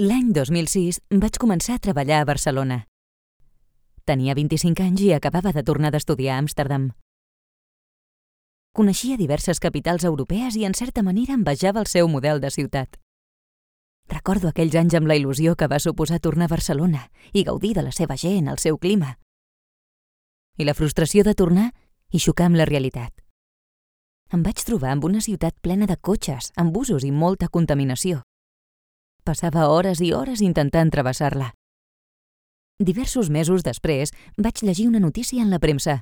L'any 2006 vaig començar a treballar a Barcelona. Tenia 25 anys i acabava de tornar d'estudiar a Amsterdam. Coneixia diverses capitals europees i en certa manera envejava el seu model de ciutat. Recordo aquells anys amb la il·lusió que va suposar tornar a Barcelona i gaudir de la seva gent, el seu clima. I la frustració de tornar i xocar amb la realitat. Em vaig trobar amb una ciutat plena de cotxes, amb busos i molta contaminació. Passava hores i hores intentant travessar-la. Diversos mesos després, vaig llegir una notícia en la premsa.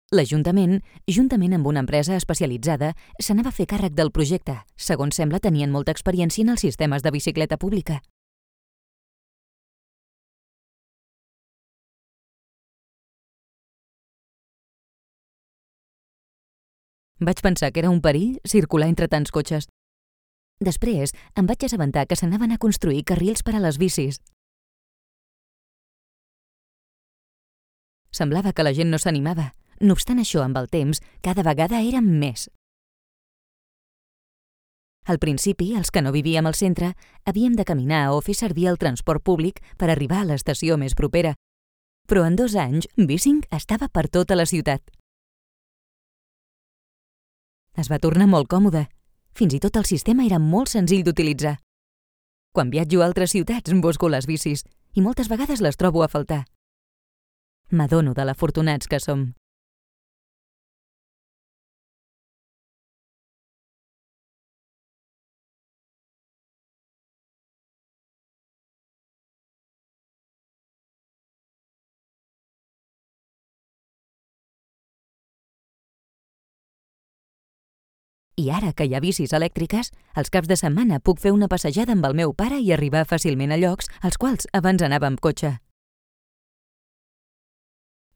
L'Ajuntament, juntament amb una empresa especialitzada, s'anava a fer càrrec del projecte. Segons sembla, tenien molta experiència en els sistemes de bicicleta pública. Vaig pensar que era un perill circular entre tants cotxes. Després, em vaig assabentar que s'anaven a construir carrils per a les bicis. Semblava que la gent no s'animava. No obstant això, amb el temps, cada vegada érem més. Al principi, els que no vivíem al centre, havíem de caminar o fer servir el transport públic per arribar a l'estació més propera. Però en 2 anys, Bissing estava per tota la ciutat. Es va tornar molt còmode. Fins i tot el sistema era molt senzill d'utilitzar. Quan viatjo a altres ciutats, busco les bicis i moltes vegades les trobo a faltar. M'adono de l'afortunats que som. I ara que hi ha bicis elèctriques, els caps de setmana puc fer una passejada amb el meu pare i arribar fàcilment a llocs als quals abans anava amb cotxe.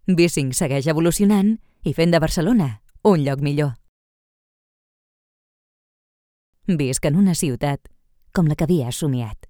Bissing segueix evolucionant i fent de Barcelona un lloc millor. Visc en una ciutat com la que havia somiat.